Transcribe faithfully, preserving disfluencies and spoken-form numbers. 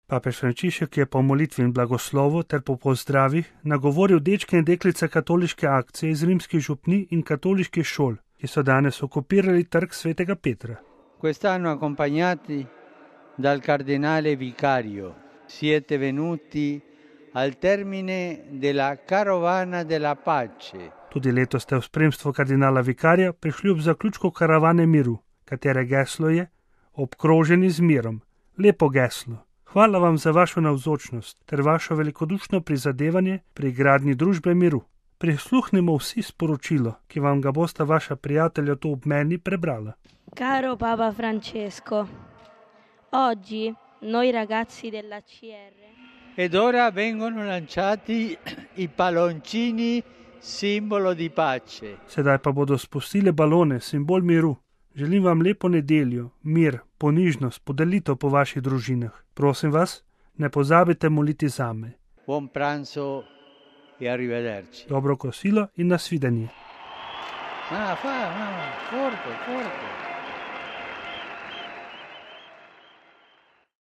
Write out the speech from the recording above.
Papež Frančišek je po molitvi in blagoslovu ter po pozdravih nagovoril dečke in deklice katoliške akcije iz rimskih župnij in katoliških šol, ki so danes okupirali trg svetega Petra. Quest'anno accompagnati dal cardinale vicario siete venuti al termine della carovana della pace. Tudi letos ste v spremstvu kardinala vikarja prišli ob zaključku karavane miru, katere geslo je obkroženi z mirom. Lepo geslo. Hvala vam za vašo navzočnost ter vašo velikodušno prizadevanje pri gradnji družbe miru. Prisluhnimo vsi sporočilo, ki vam ga bosta vaša prijatelja tu ob meni prebrala. Caro Papa Francesco, oggi noi ragazzi della C R Ed ora vengono lanciati i palloncini simbolo di pace. Sedaj pa bodo spustili balone, simbol miru. Želim vam lepo nedeljo, mir, ponižnost, podelitev po vaših družinah. Prosim vas, ne pozabite moliti zame. Buon pranzo e arrivederci. Dobro kosilo in nasvidenje. Ah, fa, no, forte, forte.